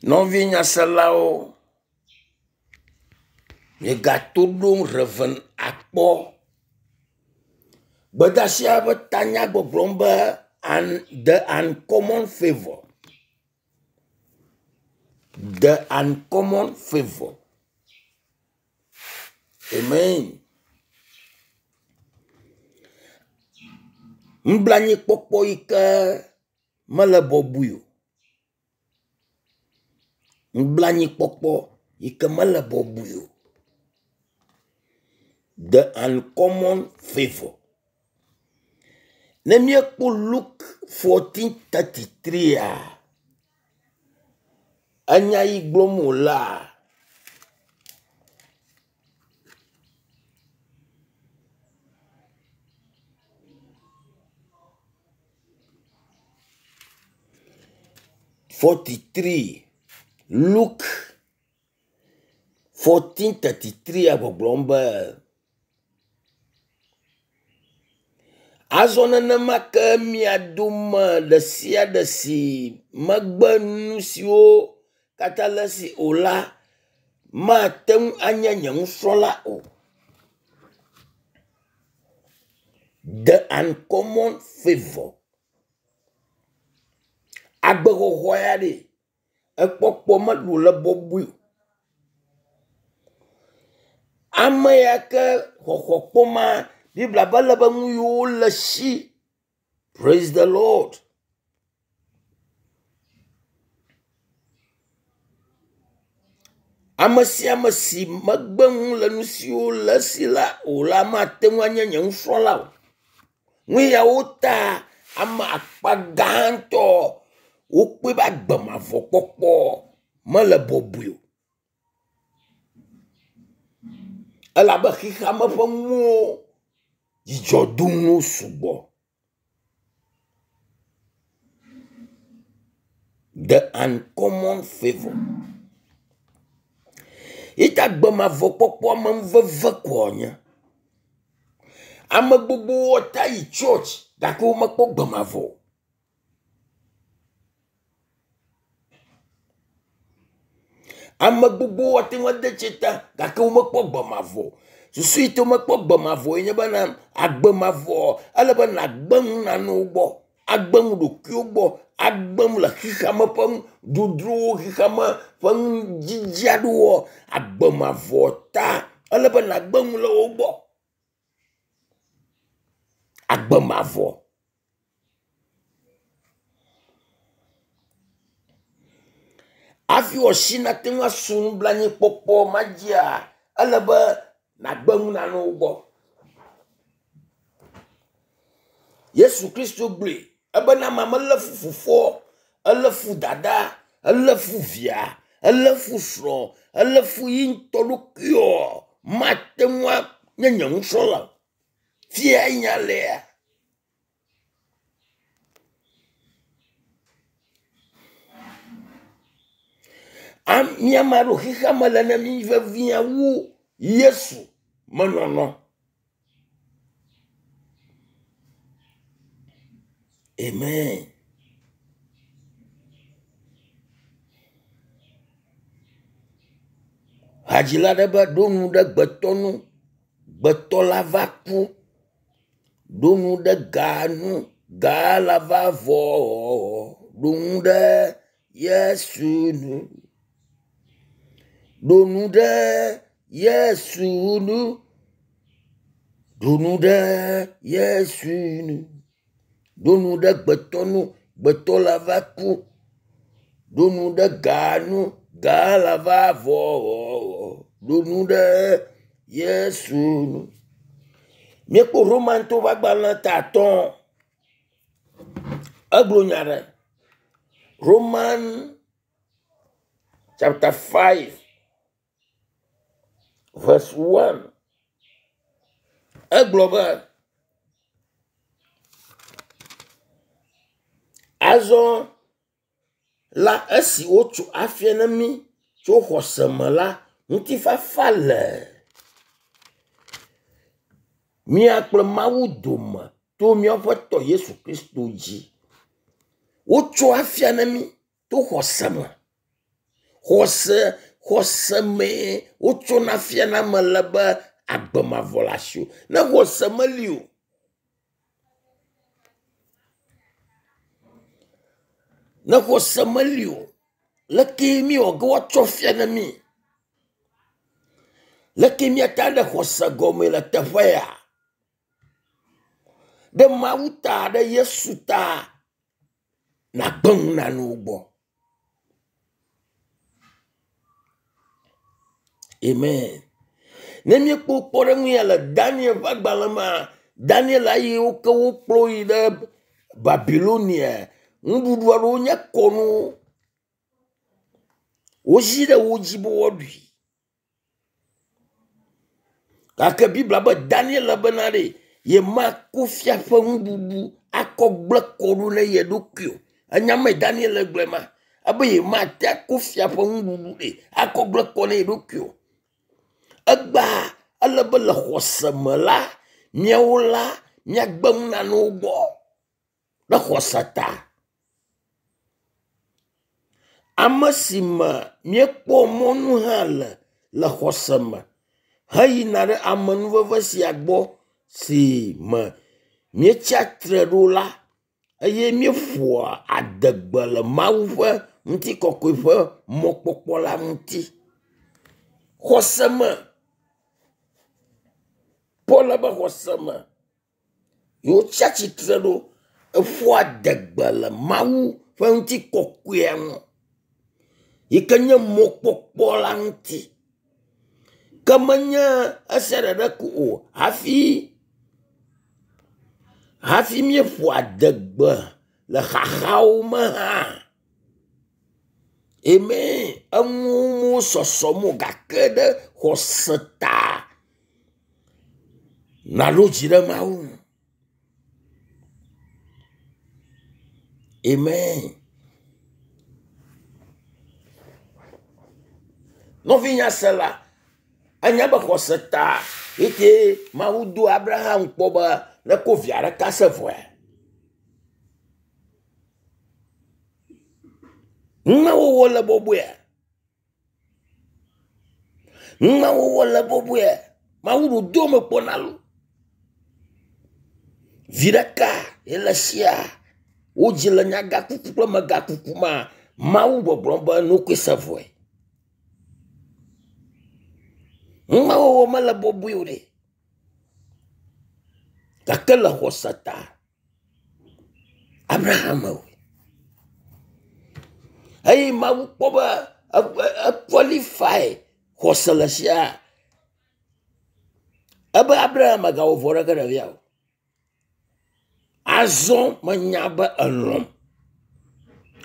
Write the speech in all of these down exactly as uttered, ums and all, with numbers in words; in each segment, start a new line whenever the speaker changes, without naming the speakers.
Nɔvi nyaselawo, miegato ɖom Rev. Akpɔ. Gbedeasia ƒe tanya gbɔgblɔm be un the uncommon favour. The uncommon favour. Amen. Nublanuikpɔkpɔ yi ke mele bɔbɔe o. Nublanuikpɔkpɔ yi ke mele bɔbɔe o. The uncommon favour. Ne míekpɔ Luke fourteen thirty three-a, enya yi gblɔm wòlea, forty three Luke fourteen thirty three gbɔgblɔm be azɔ nenema ke mia dome ɖe sia ɖe si megbe nu siwo katã le esi o la mate ŋu anye nye nusrɔ̃la o. The uncommon favour. Agbexɔxɔ ya ɖe ekpɔkpɔ meɖo le bɔbɔe o. Ame ya ke xɔxɔ kpɔma Biblia be le be nu yiwo le si. Praise the Lord. Ame sia ame si megbe nu le nu siwo le esi la o la mate ŋu anye nye nusrɔ̃la o. Nu yawo ta ame akpa gãtɔ wokpɔe be agbe mavɔ kpɔkpɔ mele bɔbɔe o. Elabe xexeame ƒe nuwo dzidzɔdonuwo sugbɔ. The uncommon favour. Yita agbe mavɔ kpɔkpɔ ame veve koa nye. Ame gbogbowo ta yi church gake womekpɔ gbe mavɔ o. Ame gbogbowo ate ŋu ade tsi ta gake womekpɔ gbe mavɔ o. Susu yi te womekpɔ gbe mavɔ ye nye bena agbe mavɔ ele be nàgbe nu nanewo gbɔ, agbe nu ɖokuiwo gbɔ, agbe nu le xexeame ƒe dodrowo, xexeame ƒe nudzidzi aɖewo. Agbe mavɔ ta ele be nàgbe nu le wo gbɔ. Agbe mavɔ. Hafi wòasi nate ŋu asu nublanuikpɔkpɔ ma dzia, ele be nàgbe nu nanewo gbɔ. Yesu Kristo gblɔe ebena ame melé fu fofoa, elé fu dada, elé fu via, elé fu srɔ̃, elé fu yi ŋutɔ ɖokuiɔ, mate ŋu anye nye nusrɔ̃la o. Fia nya lea. Míame aɖewo xexeame le ne mí vevie wu Yesu menɔnɔ. Amen. Hadzila aɖe be ɖo nu ɖe gbetɔ nu, gbetɔ la va ku. Ɖo nu ɖe ga nu, ga la va vɔ. Ɖo nu ɖe Yesu nu. Ɖo nu ɖe Yesu nu. Ɖo nu ɖe Yesu nu. Ɖo nu ɖe gbetɔ nu, gbetɔ la va ku. Ɖo nu ɖe ga nu, ga la va vɔ. Ɖo nu ɖe Yesu nu. Míekpɔ Romantɔwo ƒe agbalẽ ta atɔ̃. Egblɔ nya ɖe. Roman chapter five verse one. Egblɔ be azɔ la esi wotso afia na mí tso xɔse me la, ŋutifafa le mía kple Mawu dome to míaƒe tɔ Yesu Kristo dzi. Wotso afia na mí to xɔse me. Xɔse xɔse mee wotsona fiana ame le be agbe mavɔ le asiwò. Ne xɔse meli o. Ne xɔse meli o. Leke miwɔ ge woatsɔ fia ne mi. Leke miate ɖe xɔse gɔme le teƒe ya. Ɖe Mawu ta, ɖe Yesu ta, nagbe nu nanewo gbɔ. Amen. Ne míekpɔ kpɔɖeŋu ya le Daniel ƒe agbalẽ mea, Daniel ayi wo ke wokplɔ yi ɖe Babilonia. Nuɖuɖu aɖewo nye kɔnu. Wozi ɖe wo dzi be woaɖui. Gake Biblia be Daniel bena ɖe yemako fia ƒe nuɖuɖu akɔ gblẽ kɔ ɖo ne ye ɖokui o. Enya me Daniel gblɔe ma. Ebe yemate ako fia ƒe nuɖuɖu ɖe akɔ gblẽ kɔ ne ye ɖokui o. Egba ele be le xɔse me la, míawo la míagbe nu nanewo gbɔ le xɔse ta. Ame si me míekpɔ mɔnu hã le le xɔse me heyina ɖe amenuveve sia gbɔ si me míetsia tre ɖo la eye míeƒoa adegbe le Mawu ƒe ŋutikɔkɔe ƒe mɔkpɔkpɔ la ŋuti. Xɔse me. Paul be xɔse me. Wotsia tsitre ɖo eƒoa adegbe le Mawu ƒe ŋutikɔkɔea ŋu yi ke nye mɔkpɔkpɔ la ŋuti. Ke menye esia ɖeɖe ko o hafi hafi míeƒo adegbe le xaxawo me hã. Amen. Enuwo sɔsɔm o gake ɖe xɔse ta naɖo dzi ɖe Mawu ŋu. Amen. Nɔvinyasela, anya be xɔse ta eye Mawu do Abraham kpɔ be neko via ɖeka se vɔe. Numewɔwɔ le bɔbɔea? Numewɔwɔ le bɔbɔea? Mawu ɖo do me kpɔna lo. Vi ɖeka ye le sia wodzi le nyagakuku kple megakuku ma Mawu gbɔgblɔm be nokoe se vɔe. Numewɔwɔ mele bɔbɔe o ɖe. Gake le xɔse ta Abraham wɔe. Eye Mawu kpɔ be equalify xɔse le sia. Ebe Abraham megawɔ vɔ ɖeke ɖevia o. Azɔ menya be elɔ̃m.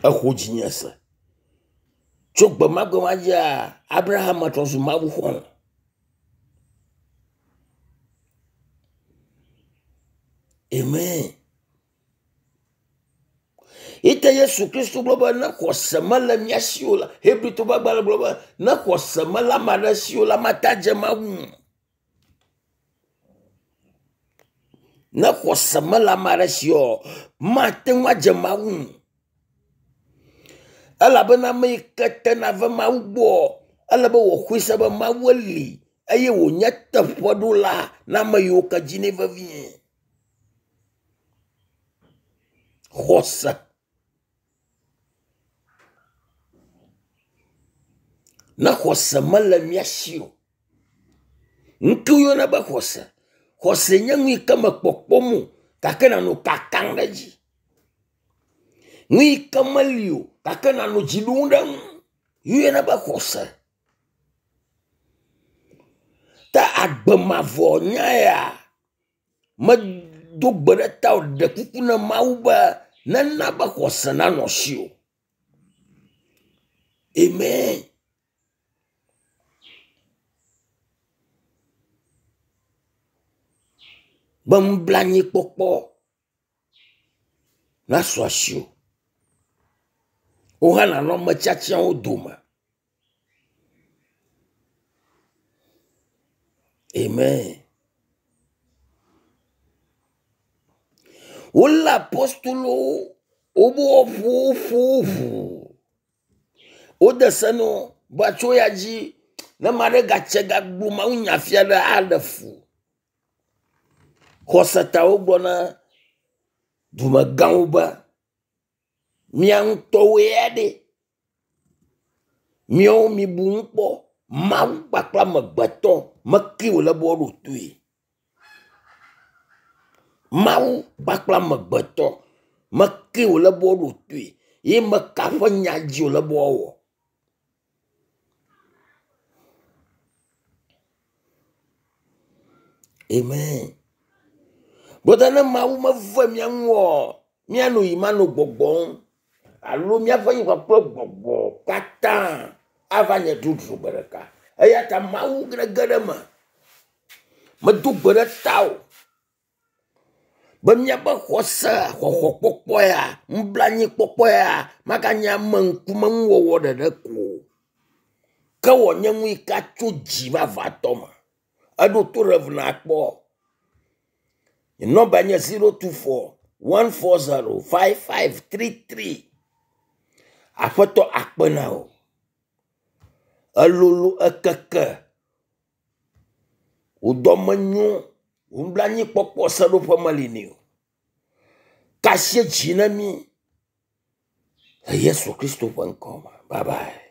Exɔ dzinye se. Tso gbe ma gbe ma dzia, Abraham trɔ zu Mawu xɔlɔ̃. Amen. Ite Yesu Kristo gblɔ be ne xɔse mele mía si o la, Hebritɔwo ƒe agbalẽ gblɔ be ne xɔse mele ame aɖe si o la, mate adze Mawu ŋu. Ne xɔse mele ame aɖe si o, mate ŋu adze Mawu ŋu. Elabena ame yi ke tena va Mawu gbɔ, ele be wòxɔe se be Mawu li eye wònye teƒeɖola na ame yiwo ke dinɛ vevie. Xɔse. Ne xɔse mele mía si o. Ŋutsu yɔna be xɔse. Xɔse nye nu yi ke me kpɔkpɔm o gake nanɔ kakam ɖe edzi. Nu yi ke meli o gake nanɔ dzi ɖom ɖe eŋu. Yɔna be xɔse. Ta agbe mavɔ nya ya medo gbe ɖe ta o ɖe kuku na Mawu be nena be xɔse nanɔ asiwò. Amen. Be nublanuikpɔkpɔ nasu asiwò. Wò hã nànɔ ame tiatiawo dome. Amen. Wolé apostolowo wobe woaƒo woƒo wo ʋuu. Wode se no be tso ya dzi ne ame aɖe gatse gagblɔ mawunya fia ɖe aɖe fu. Xɔsetawo gblɔ na dumegãwo be mia ŋutɔwoe ya ɖe. Miawo mibu ŋu kpɔ. Mawu kpakple amegbetɔ meke wòle be woaɖo toe. Mawu kpakple amegbetɔ meke wòle be woaɖo toe ye meka ƒe nya dzi wòle be woawɔ. Amen. Brother ne Mawu meve mía ŋu oa, míanɔ yi manɔ gbɔgbɔm alo míaƒe yi kpakple gbɔgbɔ katã ava nye drodro gbe ɖeka. Eya ta Mawu ge ɖe eme. Medo gbe ɖe tawò be míaƒe xɔse xɔxɔkpɔkpɔ ya, nublanuikpɔkpɔ ya maganye ame ŋkumenuwɔwɔ ɖeɖe ko o. Ke wòanye nu yi ke tso dzi vavãtɔ me. Eɖo to Rev nakpɔ. Nye nɔmba nye zero two four one four zero five five three three. Aƒetɔ akpe na wò. Elolo ekeke. Wò dɔme nyo. Wò nublanuikpɔkpɔ seɖoƒe meli nɛ o. Kasie dzi na mí le Yesu Kristo ƒe ŋkɔ me. Bye bye.